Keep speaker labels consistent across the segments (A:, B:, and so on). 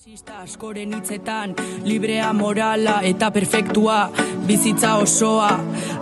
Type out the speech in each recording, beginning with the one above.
A: Askoren hitzetan, librea morala eta perfektua, bizitza osoa,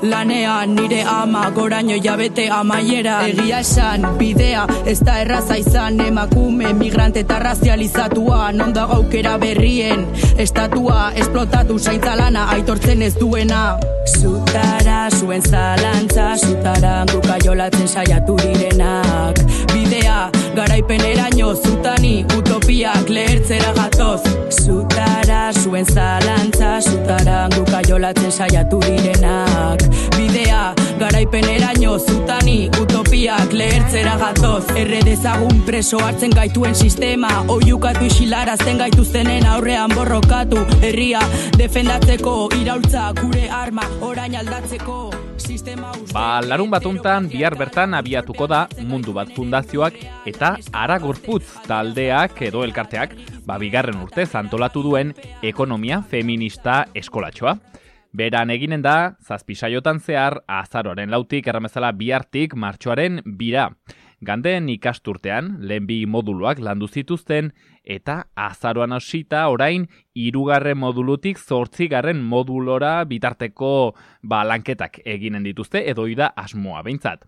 A: lanean nire ama, goraino jabete amaiera. Egia esan, bidea, ez da erraza izan, emakume, migrante eta razializatua, non dago aukera berrien, estatua, esplotatu zaintza lana, aitortzen ez duena. Zutara, zuen zalantza, zutara, guka jolatzen saiatu direnak. Bidea, garaipeneraino, zutani, utopiak lehertzera gatoz. Zutara, zuen zalantza, zutara, guka jolatzen saiatu direnak. Bidea, garaipeneraino, zutani, utopiak lehertzera gatoz. Erredezagun preso hartzen gaituen sistema, oiukatu isilarazten gaituztenen aurrean borrokatu. Herria, defendatzeko, iraultza, gure arma, orain aldatzeko.
B: Larun batuntan bihar bertan abiatuko da Mundu Bat Fundazioak eta Ara Gorputz taldeak edo elkarteak bigarren urtez antolatu duen ekonomia feminista eskolatxoa. Beran eginen da, 7 saiotan zehar, azaroaren 4tik erramezala bihartik martxoaren 2ra. Ganden ikasturtean, lehen 2 moduluak landu zituzten, eta azaroan hasita orain 3. modulutik 8. modulora bitarteko lanketak eginen dituzte, edo da asmoa behintzat.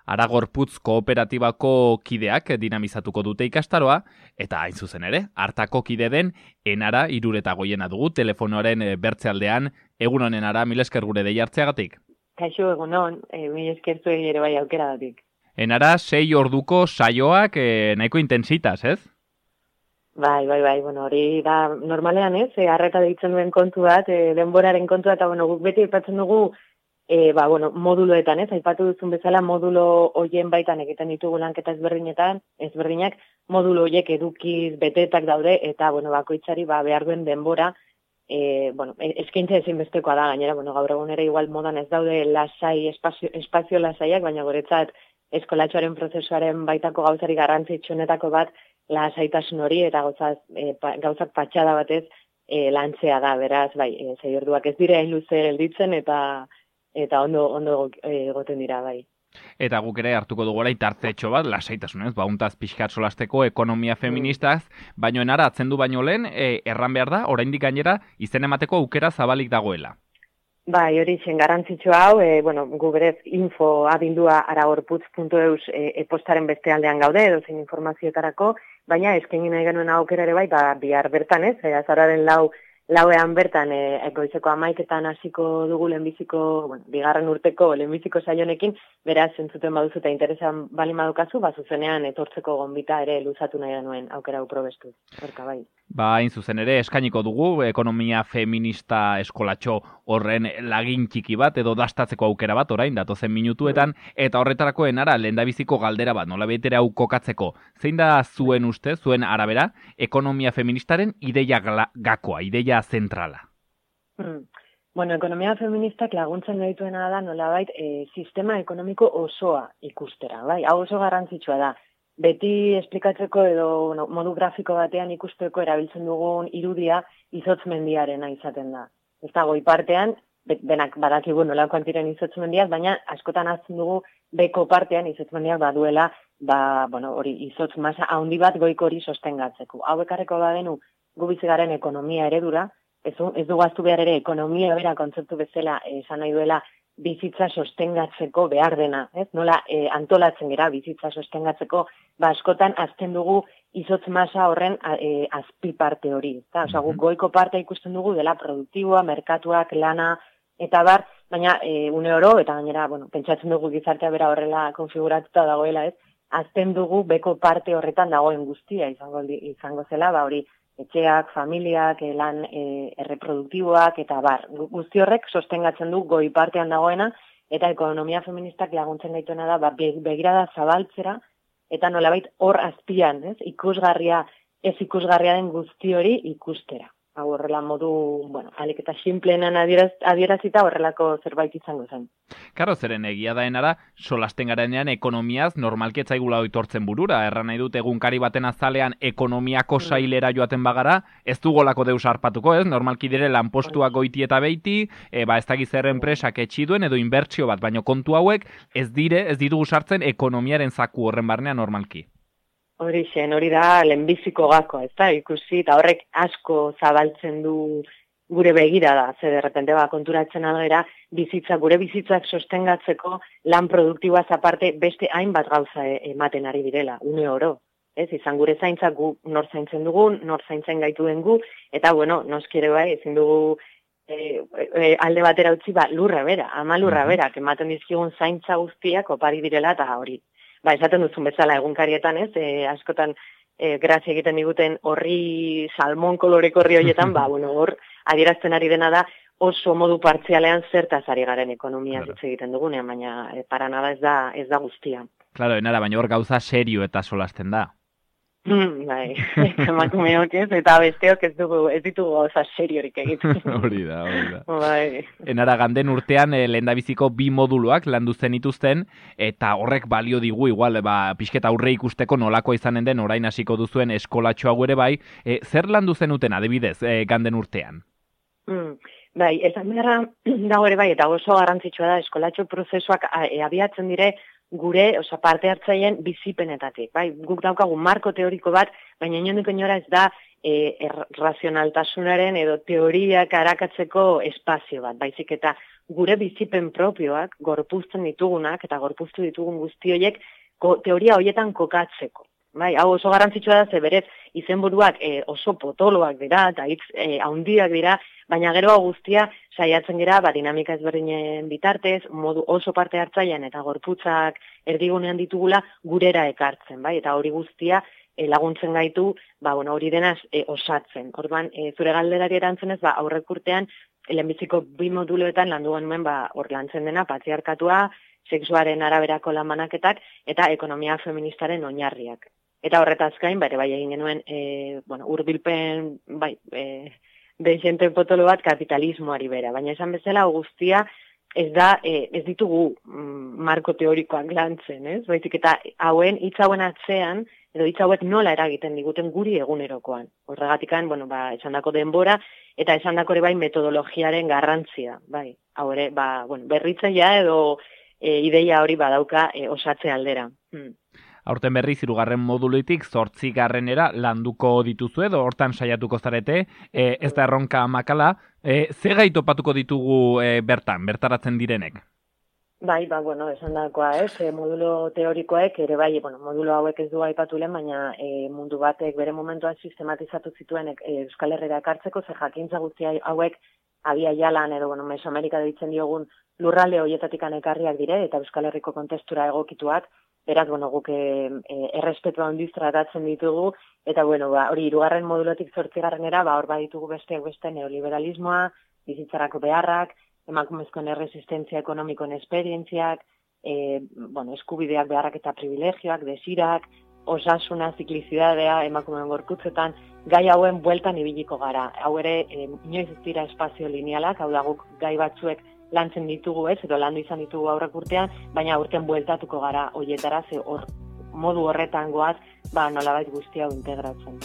B: Ara Gorputz kooperatibako kideak dinamizatuko dute ikastaroa, eta hain zuzen ere, hartako kide den Enara Iruretagoiena dugu telefonoaren bertzealdean. Egun honen Ara, mil esker gure deia hartzeagatik.
C: Kaixo, egun hon, mil esker zuen ere bai aukeragatik.
B: Enara, 6 orduko saioak nahiko intensitas, ez?
C: Bai, bueno, hori da normalean ez, arreta deitzen duen kontu bat, denboraren kontua, eta guk beti aipatzen dugu, moduloetan ez, aipatu duzun bezala modulo hoien baitan egiten ditugu lanketa ezberdinak, modulo hoiek edukiz betetak daude, eta bakoitzari behar duen denbora, eskaintza ezinbestekoa da, gainera, gaur egun ere igual modan ez daude lasai, espazio lasaiak, baina guretzat eskolatxoaren prozesuaren baitako gauzari garrantzitsuenetako bat lasaitasun hori eta gauzak patxada batez lantzea da, beraz, 6 orduak ez dira hain luze gelditzen eta ondo egoten dira, bai.
B: Eta guk ere hartuko dugu orain tartetxo bat, lasaitasunez, untaz pixkat solasteko ekonomia feministaz, baino Enara atzen du baino lehen, erran behar da, oraindik gainera, izen emateko aukera zabalik dagoela.
C: Bai, hori zen garrantzitsu hau, gu berez info abildua aragorputz.eus postaren beste aldean gaude, edozein informazioetarako, baina eskaini nahi genuen aukera ere bai, bihar bertan ez, azararen lauean bertan goizeko 11etan hasiko dugu lehenbiziko, bigarren urteko lehenbiziko saionekin, beraz entzuten baduzu eta interesan bali madukazu, zuzenean etortzeko gonbita ere luzatu nahi genuen aukera uprobestu. Horka bai.
B: Hain zuzen ere, eskainiko dugu ekonomia feminista eskolatxo horren lagin txiki bat edo dastatzeko aukera bat orain datozen minutuetan, eta horretarako Enara lehendabiziko galdera bat, nola betere hau kokatzeko. Zein da zuen uste, zuen arabera, ekonomia feministaren ideia gakoa, ideia zentrala?
C: Ekonomia feministak laguntzen gaituena da nolabait sistema ekonomiko osoa ikustera, bai? Hau oso garrantzitsua da. Beti esplikatzeko edo modu grafiko batean ikusteko erabiltzen dugun irudia izotz mendiarena izaten da. Ez da goi partean, benak badakigu nolakoan ziren izotz mendiak, baina askotan azten dugu beko partean izotz mendiak baduela, hori izotz masa handi bat goiko hori sostengatzeko. Hau ekarreko badenu gu bizigaren ekonomia eredura, ez dugu aztu behar ere ekonomia bera kontzeptu bezala esan nahi duela bizitza sostengatzeko behar dena, ez? Nola antolatzen gera bizitza sostengatzeko, askotan azten dugu izotz masa horren azpi parte hori. Osa, guk goiko parte ikusten dugu dela produktiboa, merkatuak, lana, eta baina une oro, eta gainera, pentsatzen dugu gizartea bera horrela konfiguratuta dagoela, ez? Azten dugu beko parte horretan dagoen guztia izango zela, hori etxeak, familiak, lan erreproduktiboak, eta guzti horrek sostengatzen du goi partean dagoena, eta ekonomia feministak laguntzen gaituena da, begirada zabaltzera, eta nolabait hor azpian, ikusgarria, ez ikusgarria den guzti hori ikustera. Hau horrela modu, alik eta simplenan adierazita horrelako zerbait izango zen.
B: Karo, zeren egia da Enara, solasten garenean ekonomiaz normalki etzaigula oitortzen burura. Erran nahi dut egunkari baten azalean ekonomiako sailera joaten bagara, ez dugolako deus harpatuko, ez? Normalki dire lanpostuak goiti eta beiti, ez dakiz zer enpresak etxi duen edo inbertsio bat, baina kontu hauek ez ditugu sartzen ekonomiaren zaku horren barnean normalki.
C: Hori da lehenbiziko gakoa, ez da, ikusi, eta horrek asko zabaltzen du gure begirada, ze derrepente konturatzen algera, gure bizitzak sostengatzeko lan produktiboaz aparte beste hainbat gauza ematen ari direla, une oro. Ez, izan gure zaintzak gu nor zaintzen dugun, nor zaintzen gaituen gu, eta bueno, noskire bai, ezin dugu alde batera utzi, lurra bera, ama lurra bera, ematen dizkigun zaintza guztiak opari direla, eta hori. Esaten duzun bezala egunkarietan, ez, askotan grazia egiten diguten horri salmon koloreko horri horietan, hor adierazten ari dena da oso modu partzialean zertaz ari garen ekonomia hitz egiten dugunean, baina para nada ez da guztia.
B: Claro, enara, baina hor gauza serio eta solasten da.
C: Bai, emakumeok ez, eta besteok ez ditugu gauza seriorik egiten.
B: Hori da.
C: Bai.
B: Enara, ganden urtean lehendabiziko 2 moduluak landu zenituzten, eta horrek balio digu igual, pixketa aurre ikusteko nolakoa izanen den orain hasiko duzuen eskolatxoa ere bai, zer landu zenuten adibidez ganden urtean?
C: Bai, esan beharra dago ere bai, eta oso garrantzitsua da eskolatxo prozesuak abiatzen dire gure, parte hartzaileen bizipenetatik. Bai, guk daukagu marko teoriko bat, baina inondik inora ez da razionaltasunaren edo teoriak arakatzeko espazio bat. Baizik eta gure bizipen propioak, gorpuzten ditugunak eta gorpuztu ditugun guzti horiek teoria horietan kokatzeko. Bai, hau oso garrantzitsua da, ze berez izenburuak oso potoloak dira eta hitz handiak dira, baina gero guztia saiatzen dira dinamika ezberdinen bitartez, modu oso parte hartzailean eta gorputzak erdigunean ditugula gurera ekartzen, bai, eta hori guztia laguntzen gaitu, hori denaz osatzen. Orduan, zure galderari erantzunez, aurrek urtean lehenbiziko 2 moduloetan landu genuen hor lantzen dena patriarkatua, sexuaren araberako lanbanaketak eta ekonomia feministaren oinarriak. Eta horretaz gain, bai egin genuen, hurbilpen, dezente potolo bat kapitalismoari bera. Baina esan bezala, guztia ez ditugu marko teorikoak lantzen, ez? Baizik eta hitz hauen atzean, edo hitz hauek nola eragiten diguten guri egunerokoan. Horregatikan, esandako denbora, eta esandako ere bai metodologiaren garrantzia, bai. Hau ere, berritzailea edo ideia hori badauka osatze aldera.
B: Aurten berriz 3. moduluitik 8. landuko dituzu edo hortan saiatuko zarete, ez da erronka makala, ze gai topatuko ditugu bertaratzen direnek?
C: Bai, esan dakoa, modulo teorikoek ere bai, modulo hauek ez du aipatu lehen, baina mundu batek bere momentuan sistematizatu zituen Euskal Herrira ekartzeko, ze jakintza guzti hauek Abia Jalan edo Mesoamerika deitzen diogun lurralde horietatik ekarriak dire, eta Euskal Herriko kontestura egokituak, beraz, guk errespetua handiz tratatzen ditugu, eta hori 3. modulotik 8. hor baditugu beste neoliberalismoa, bizitzarako beharrak, emakumezkoen erresistentzia ekonomikoen esperientziak, eskubideak, beharrak eta privilegioak, desirak, osasuna, ziklizidadea, emakumeen gorputzetan, gai hauen bueltan ibiliko gara. Hau ere, inoiz ez dira espazio linealak, hau da guk gai batzuek lantzen ditugu edo landu izan ditugu aurrek urtean, baina urtean bueltatuko gara horietara, ze modu horretan goaz, nolabait guztia hau integratzen.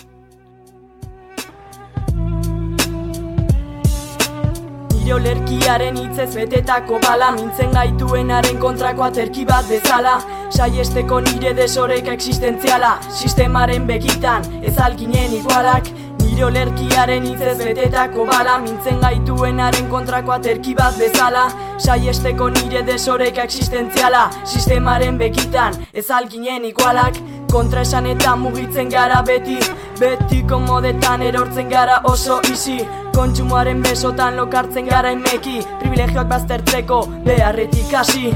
D: Nire olerkiaren hitzez betetako bala, mintzen gaituenaren kontrako aterki bat bezala, saiesteko nire desoreka existentziala, sistemaren begitan ez alginen igualak. Nire olerkiaren hitzez betetako bala, mintzen gaituenaren kontrako aterki bat bezala, saiesteko nire desoreka existentziala, sistemaren begitan ez alginen igualak. Kontraesan eta mugitzen gara beti komodetan erortzen gara oso isi, kontsumoaren besotan lokartzen gara emeki, privilegioak baztertzeko beharretik hasi.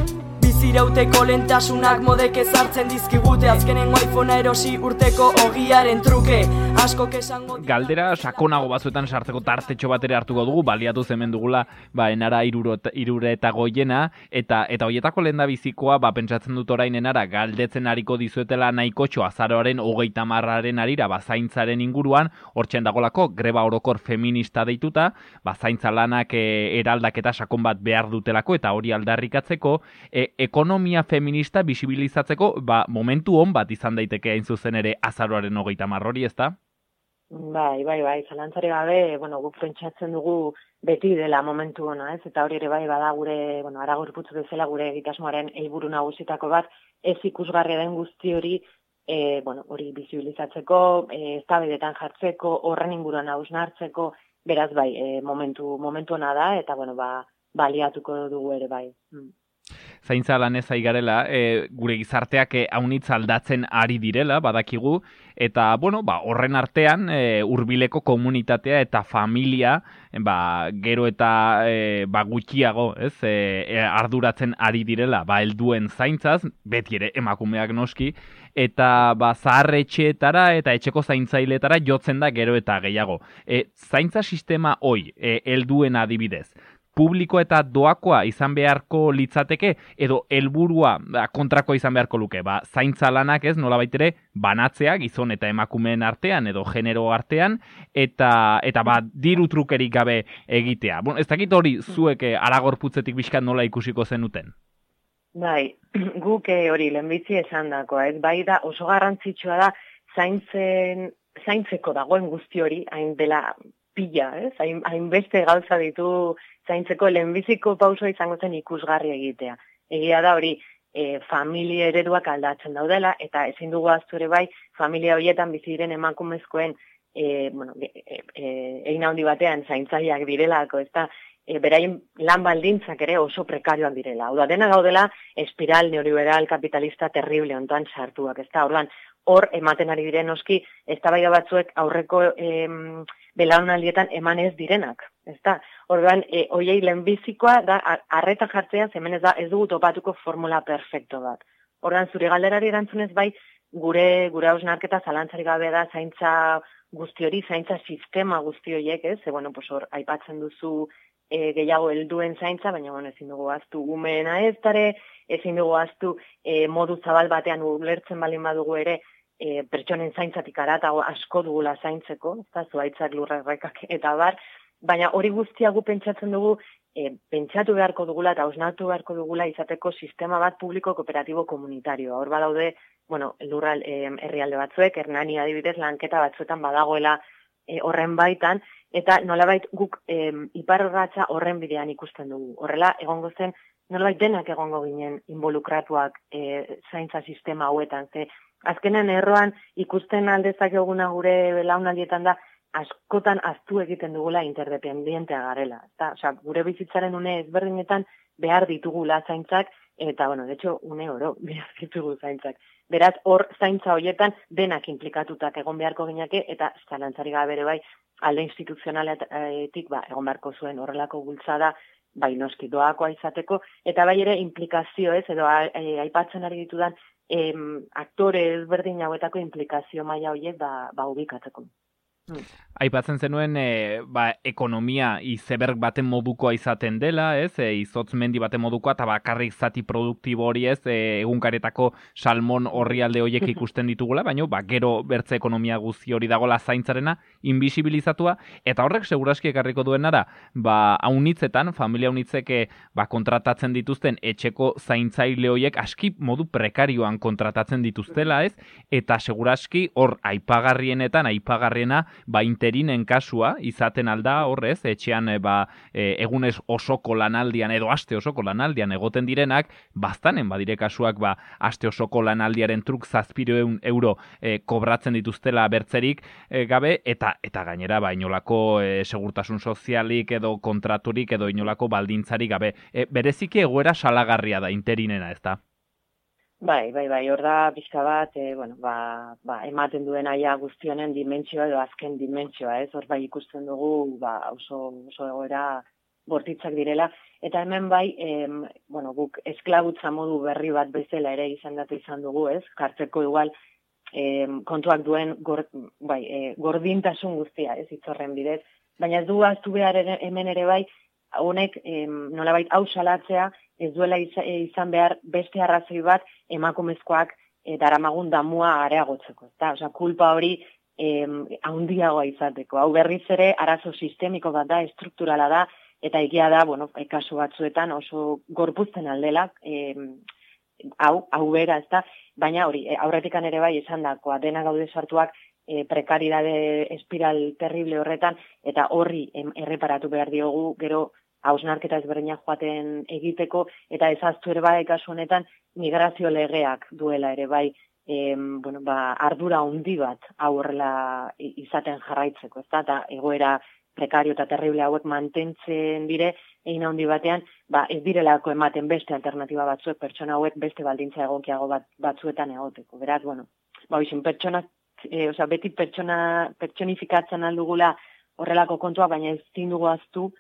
D: Bizirauteko lentasunak modek ezartzen dizkigute, azkenengo iPhonea erosi urteko ogiaren truke, asko kesango...
B: Galdera sakonago batzuetan sartzeko tartetxo bat ere hartuko dugu, baliatu hemen dugula enara 3 eta goiena, eta horietako lehendabizikoa, pentsatzen dut orain enara, galdetzen ariko dizuetela nahikotxo azaroaren 30. arira, zaintzaren inguruan, hortxen dagolako greba orokor feminista deituta, zaintza lanak eraldaketa sakon bat behar dutelako, eta hori aldarrikatzeko, ekonomia feminista bisibilizatzeko momentu on bat izan daiteke hain zuzen ere azaroaren 30 hori, ezta?
C: Bai, zalantzare gabe, guk pentsatzen dugu beti dela momentu ona, ez? Eta hori ere bai bada gure, Aragorputz bezala gure egitasmoaren helburu nagusitako bat, ez ikusgarria den guzti hori hori bizibilizatzeko, eztabaidetan jartzeko, horren inguruan hausnartzeko, beraz bai, momentu ona da, eta baliatuko dugu ere bai.
B: Zaintza lanez ari garela, gure gizarteak haunitz aldatzen ari direla, badakigu, eta horren artean hurbileko komunitatea eta familia gero eta gutxiago arduratzen ari direla, helduen zaintzaz, beti ere emakumeak noski, eta zaharretxeetara eta etxeko zaintzailetara jotzen da gero eta gehiago. Zaintza sistema hoi, helduen adibidez, publiko eta doakoa izan beharko litzateke, edo helburua kontrako izan beharko luke. Zaintza lanak nolabait ere banatzea gizon eta emakumeen artean edo genero artean, eta diru trukerik gabe egitea. Ez dakit hori zuek Aragorputzetik bizkat nola ikusiko zenuten?
C: Bai, guk hori lehenbizi esan dako, bai da oso garrantzitsua da zaintzeko dagoen guzti hori, hain dela pila, hainbeste gauza ditu zaintzeko lehenbiziko pausoa izango zen ikusgarri egitea. Egia da hori familia ereduak aldatzen daudela, eta ezin dugu ahaztu ere bai, familia horietan bizi diren emakumezkoen egin handi batean zaintzaileak direlako, beraien lan baldintzak ere oso prekarioak direla. Hau da, dena gaudela espiral neoliberal kapitalista terrible ontan sartuak, orduan hor ematen ari diren noski eztabaida batzuek aurreko belaunaldietan eman ez direnak, Orduan, hoiei lehenbizikoa da arreta jartzea, hemen ez dugu topatuko formula perfecto bat. Orduan, zure galderari erantzunez bai, gure hausnarketa zalantzari gabe da zaintza guzti hori, zaintza sistema guzti horiek, hor aipatzen duzu gehiago helduen zaintza, baina ezin dugu ahaztu umeena ezin dugu ahaztu modu zabal batean ulertzen baldin badugu ere, pertsonen zaintzatik aratago asko dugula zaintzeko, zuhaitzak, lurrerrekak eta bar, baina hori guztia gu pentsatzen dugu, pentsatu beharko dugula eta hausnartu beharko dugula izateko sistema bat publiko kooperatibo komunitarioa. Hor badaude, lurral herrialde batzuek, Hernani adibidez, lanketa batzuetan badagoela horren baitan, eta nolabait guk iparrorratza horren bidean ikusten dugu. Horrela, egongo zen, nolabait denak egongo ginen involukratuak zaintza sistema hauetan, azkenen erroan ikusten aldezak eguna gure belaunaldietan da, askotan aztu egiten dugula interdependientea garela. Gure bizitzaren une ezberdinetan behar ditugula zaintzak, eta, de hecho, une oro behar ditugu zaintzak. Beraz, hor zaintza horietan denak implikatutak egon beharko gineke, eta zalantzari gabe ere bai, alde instituzionaletik egon beharko zuen horrelako bultzada, bai noski doakoa izateko, eta bai ere implikazio edo aipatzen ari ditudan aktore ezberdin hauetako implikazio maila horiek ubikatzeko.
B: Aipatzen zenuen ekonomia izeberg baten modukoa izaten dela, izotz mendi baten modukoa, eta bakarrik zati produktibo hori egunkaretako salmon orrialde horiek ikusten ditugula, baina gero bertze ekonomia guzti hori dagola zaintzarena invisibilizatua, eta horrek seguraski ekarriko duenara, haunitzetan, familia haunitzeke kontratatzen dituzten etxeko zaintzaile horiek aski modu prekarioan kontratatzen dituztela, eta seguraski hor aipagarriena interinen kasua izaten alda horrez, etxean egunez osoko lanaldian edo aste osoko lanaldian egoten direnak, baztanen badire kasuak aste osoko lanaldiaren truk 700 euro kobratzen dituztela bertzerik gabe, eta gainera inolako segurtasun sozialik edo kontraturik edo inolako baldintzarik gabe. Bereziki egoera salagarria da interinena, ez da?
C: Bai, hor da pixka bat, ematen duen aia guztionen dimentsioa edo azken dimentsioa, hor ikusten dugu oso egoera bortitzak direla, eta hemen guk esklabutza modu berri bat bezala ere izendatu izan dugu, jartzeko igual kontuak duen gordintasun guztia, hitzorren bidez, baina ez du ahaztu behar hemen ere bai, honek nolabait hau salatzea, ez duela izan behar beste arrazoi bat emakumezkoak daramagun damua areagotzeko. Kulpa hori handiagoa izateko. Hau berriz ere arazo sistemiko bat da, estrukturala da, eta egia da, kasu batzuetan oso gorpuzten aldela, hau bera, baina hori, aurretikan ere bai izan dakoa, dena gaude sartuak prekaridade espiral terrible horretan, eta horri erreparatu behar diogu, gero hausnarketa ezberdinak joaten egiteko, eta ezaztu ere bai kasu honetan migrazio legeak duela ere bai bueno, ardura handi bat horrela izaten jarraitzeko, ezta? Eta egoera prekario eta terrible hauek mantentzen dire, egin handi batean, ez direlako ematen beste alternatiba batzuek, pertsona hauek beste baldintza egokiago batzuetan egoteko. Beraz, bueno, pertsonak, beti pertsonifikatzen aldugula horrelako kontua, baina ez dugu aztu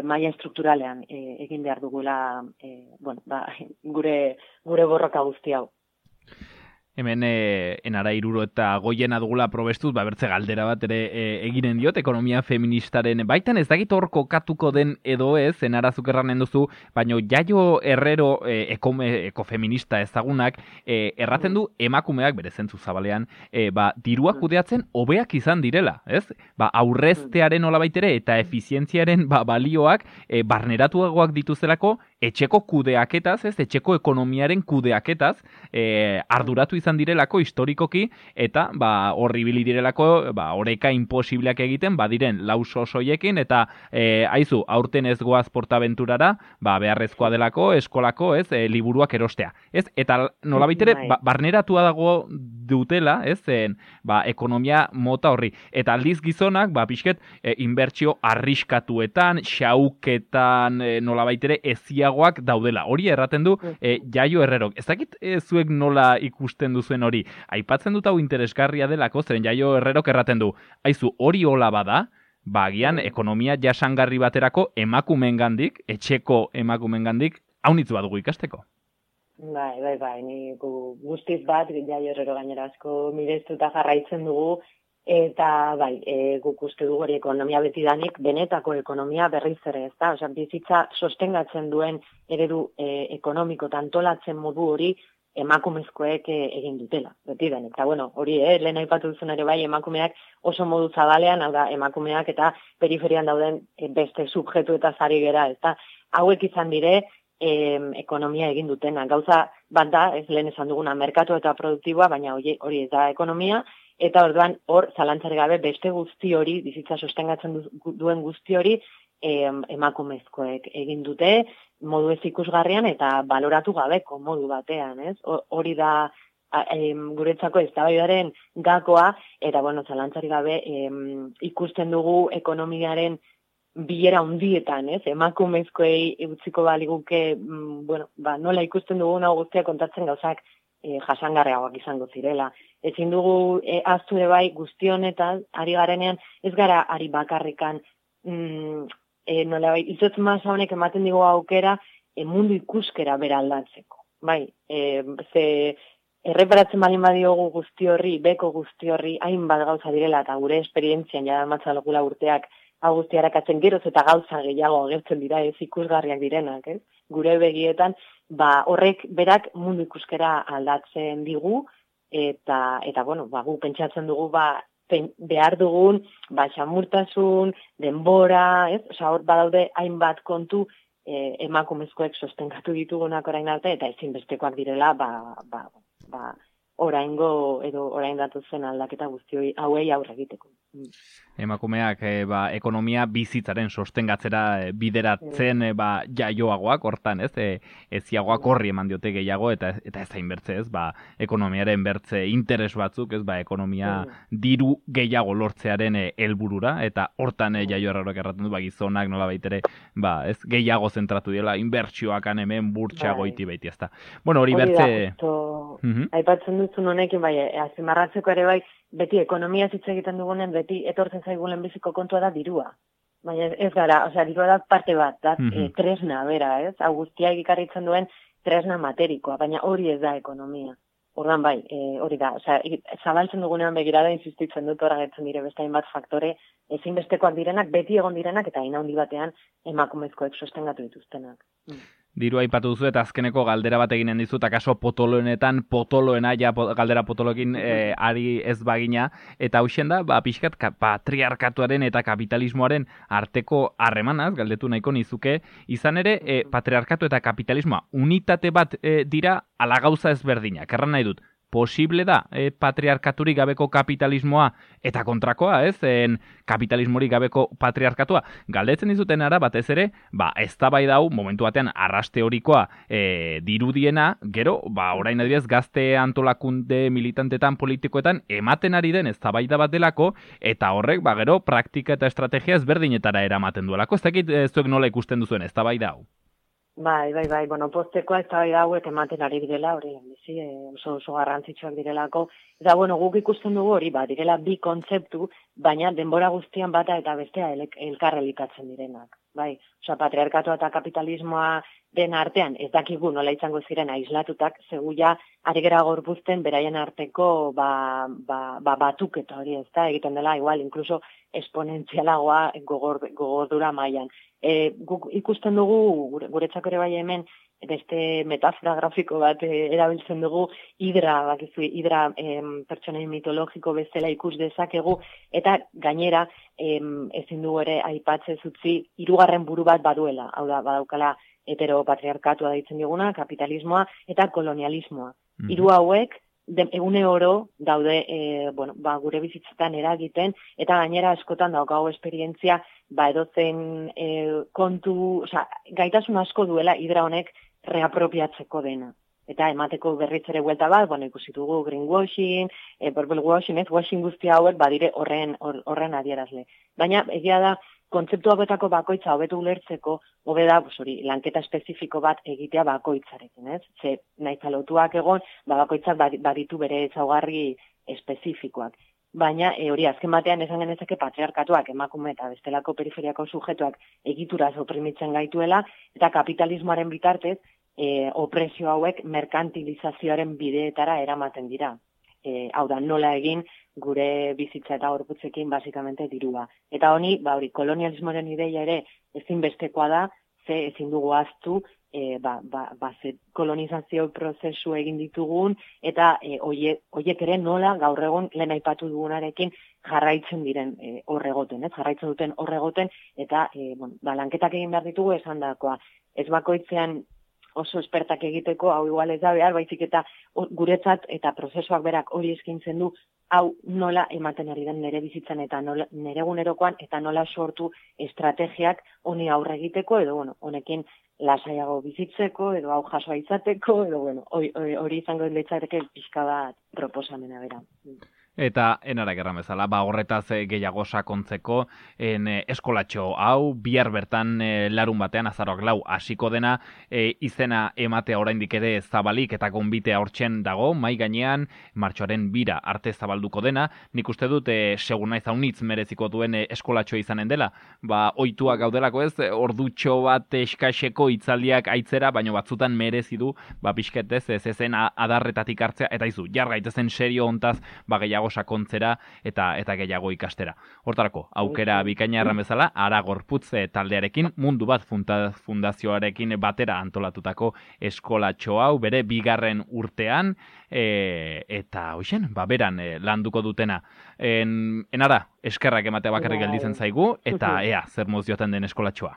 C: maila estrukturalean egin behar dugula gure borroka guzti hau.
B: Hemen enara iruro eta goiena dugula probestuz, bertze galdera bat ere eginen diot, ekonomia feministaren baitan, ez dakit hor kokatuko den edo ez, enara zukerranen duzu, baina Jaio Herrero ekofeminista ezagunak, erraten du emakumeak, bere zentzu zabalean, dirua kudeatzen hobeak izan direla, ez? Aurreztearen olabaitere eta efizientziaren balioak barneratuagoak dituzelako, etxeko kudeaketaz, ez? Etxeko ekonomiaren kudeaketaz, arduratu izan direlako historikoki, eta horribili direlako oreka imposibleak egiten, diren lauso soiekin, eta aizu, aurten ez goaz portaventurara, beharrezkoa delako, eskolako, ez, liburuak erostea. Ez? Eta nolabaitere, barneratua dago dutela, ez, ekonomia mota horri. Eta aldiz gizonak, pixket, inbertsio arriskatuetan, xauketan, nolabaitere, eziagoak daudela. Hori erraten du, Jaio Herrerok. Ez dakit zuek nola ikusten duzuen hori. Aipatzen dut hau interesgarria delako, zeren Jaio Herrerok erraten du. Aizu, hori hola bada, agian ekonomia jasangarri baterako emakumeengandik, etxeko emakumeengandik, haunitz badugu ikasteko.
C: Bai, ni guztiz bat, Jaio Herrero gainera asko mirestuta jarraitzen dugu, eta guk uste dugu hori ekonomia betidanik, benetako ekonomia berriz ere, ez da? Bizitza sostengatzen duen eredu ekonomiko tantolatzen modu hori emakumezkoek egin dutela, betidanik. Eta hori, lehen aipatu duzun ere emakumeak oso modu zabalean, hau da, emakumeak eta periferian dauden beste subjektu eta zari gera, ez da? Hauek izan dire, ekonomia egin dutena. Gauza bat da, ez lehen esan duguna, merkatu eta produktiboa, baina hori ez da ekonomia, eta orduan hor zalantzari gabe beste guzti hori, bizitza sostengatzen duen guzti hori, emakumezkoek egin dute, modu ez ikusgarrian eta baloratu gabeko modu batean, ez? Hori da guretzako eztabaidaren gakoa, eta zalantzari gabe ikusten dugu ekonomiaren bilera hundietan, ez? Emakumezkoei utziko baliguke, nola ikusten dugun hau guztia kontatzen gauzak jasangarriagoak izango zirela. Ezin dugu ahaztu ere bai guztionetan, ari garenean, ez gara ari bakarrikan, nolabait, izotz masa honek ematen digu aukera mundu ikuskera bera aldatzeko. Ze erreparatzen balin badiogu guzti horri, beko guzti horri, hainbat gauza direla, eta gure esperientzian jada matzalokula urteak hau guzti harakatzen geroz eta gauza gehiago agertzen dira ez ikusgarriak direnak, ez? Gure begietan, horrek berak mundu ikuskera aldatzen digu, eta gu pentsatzen dugu, behar dugun, xamurtasun, denbora, ez? Hor badaude hainbat kontu emakumezkoek sostengatu ditugunak orain arte, eta ezinbestekoak direla, oraingo edo orain datozen aldaketa guzti hauei aurre egiteko.
B: Emakumeak ekonomia bizitzaren sostengatzera bideratzen jaioagoak, hortan, ez? Eziagoak horri eman diote gehiago, eta ez hain bertze, ez? Ekonomiaren bertze interes batzuk, ez? Ekonomia diru gehiago lortzearen helburura, eta hortan Jaio Herrerok erraten du, gizonak nola baitere, ez? Gehiago zentratu dela, inbertsioak hemen burtsa goiti baiti, ez da. Hori bertze...
C: Aipatzen duzun honekin, azimarratzeko ere beti ekonomia hitz egiten dugunen, beti etortzen zaigulen biziko kontua da dirua. Baina ez gara, dirua da parte bat, da tresna, bera, ez? Hau guztiak ikarritzen duen tresna materikoa, baina hori ez da ekonomia. Ordan hori da, zabaltzen dugunean begirada insistitzen dut hor agertzen dire beste hainbat faktore ezinbestekoak direnak, beti egon direnak, eta hain handi batean emakumezkoek sostengatu dituztenak.
B: Diru aipatu duzu eta azkeneko galdera bat eginen dizut, akaso potoloena, galdera potoloekin ari ez bagina, eta hausen da, pixkat patriarkatuaren eta kapitalismoaren arteko harremanaz, galdetu nahiko nizuke, izan ere, patriarkatu eta kapitalismoa unitate bat dira ala gauza ezberdinak. Erran nahi dut, posible da patriarkaturik gabeko kapitalismoa eta kontrakoa, kapitalismorik gabeko patriarkatua. Galdetzen dizuten ara batez ere, eztabaida hau momentu batean arraste horikoa dirudiena, gero, orain adibidez gazte antolakunde militantetan politikoetan ematen ari den eztabaida bat delako, eta horrek gero praktika eta estrategia ezberdinetara eramaten duelako. Ez dakit zuek nola ikusten duzuen eztabaida hau?
C: Bai, postekoa eztabaida hauek ematen ari direla, hori oso garrantzitsuak direlako. Eta guk ikusten dugu hori, direla bi kontzeptu, baina denbora guztian bata eta bestea elkarrelikatzen direnak. Bai, patriarkatua eta kapitalismoa den artean, ez dakigu nola izango ziren aislatutak, seguia ari gera gorpuzten beraien arteko batuketa hori, ez da, egiten dela, igual, inkluso esponentzialagoa gogordura mailan. Guk ikusten dugu, guretzako ere bai hemen, beste metafora grafiko bat erabiltzen dugu, hidra pertsonai mitologiko bezala ikus dezakegu, eta gainera ezin dugu ere aipatzez utzi hirugarren buru bat baduela, hau da, badaukala heteropatriarkatua deitzen diguna, kapitalismoa eta kolonialismoa. Hiru hauek egune oro daude gure bizitzetan eragiten, eta gainera askotan daukago esperientzia edozen kontu, gaitasun asko duela hidra honek reapropiatzeko dena. Eta emateko berriz ere buelta bat, ikusi dugu greenwashing, purple washing, washing guztia hauek badire horren adierazle. Baina egia da, kontzeptu hauetako bakoitza hobetu ulertzeko, hobe da, lanketa espezifiko bat egitea bakoitzarekin, ez? Ze nahiz lotuak egon, bakoitzak baditu bere ezaugarri espezifikoak. Baina hori azken batean esan genezake patriarkatuak emakume eta bestelako periferiako sujetuak egituraz oprimitzen gaituela, eta kapitalismoaren bitartez opresio hauek merkantilizazioaren bideetara eramaten dira. Hau da, nola egin gure bizitza eta gorputzekin basikamente dirua. Eta hori, kolonialismoaren ideia ere ezinbestekoa da, ze ezin dugu ahaztu, kolonizazio prozesu egin ditugun, eta horiek ere nola gaur egun lehen aipatu dugunarekin jarraitzen diren horregoten, jarraitzen duten horregoten, eta lanketak egin behar ditugu esan dakoa. Ez bakoitzean oso espertak egiteko, hau igual ez da behar, baizik eta guretzat eta prozesuak berak hori eskintzen du, hau nola ematen ari den nire bizitzan eta nire egunerokoan, eta nola sortu estrategiak honi aurre egiteko, edo honekin lasaiago bizitzeko, edo hau jasoa izateko, edo hori izango litzateke pixka bat proposamena bera.
B: Eta enara gerran bezala, horretaz gehiago sakontzeko eskolatxo hau, bihar bertan larun batean, azaroak 4 hasiko dena, izena ematea oraindik ere zabalik eta gonbitea hortzen dago, mai gainean, martxoaren 2 arte zabalduko dena, nik uste dut, segun naiz haunitz mereziko duen eskolatxo izanen dela, ohituak gaudelako ez, ordutxo bat eskaxeko itzaldiak aitzera, baina batzutan merezi du, pixketez, ez ezen adarretatik hartzea, eta izu, jargaitezen serio hontaz, gehiago sakontzera eta gehiago ikastera. Hortarako, aukera bikaina erran bezala, Ara Gorputz taldearekin, Mundu Bat fundazioarekin batera antolatutako eskolatxo hau, bere 2. urtean, eta hoxen, beran landuko dutena. Enara, eskerrak ematea bakarrik gelditzen zaigu, eta ea, zer mozioten den eskolatxoa.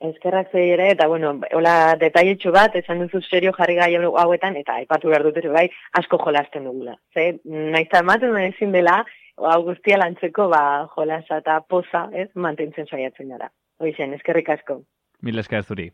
C: Eskerrak zei ere, eta hola detailetxo bat, esan duzu serio jarri gai hauetan, eta aipatu behar dut ere asko jolasten dugula. Naizta ematen ezin dela, hau guztia lantzeko jolasa eta poza, mantentzen saiatzen gara. Hoixen, eskerrik asko.
B: Mil esker zuri.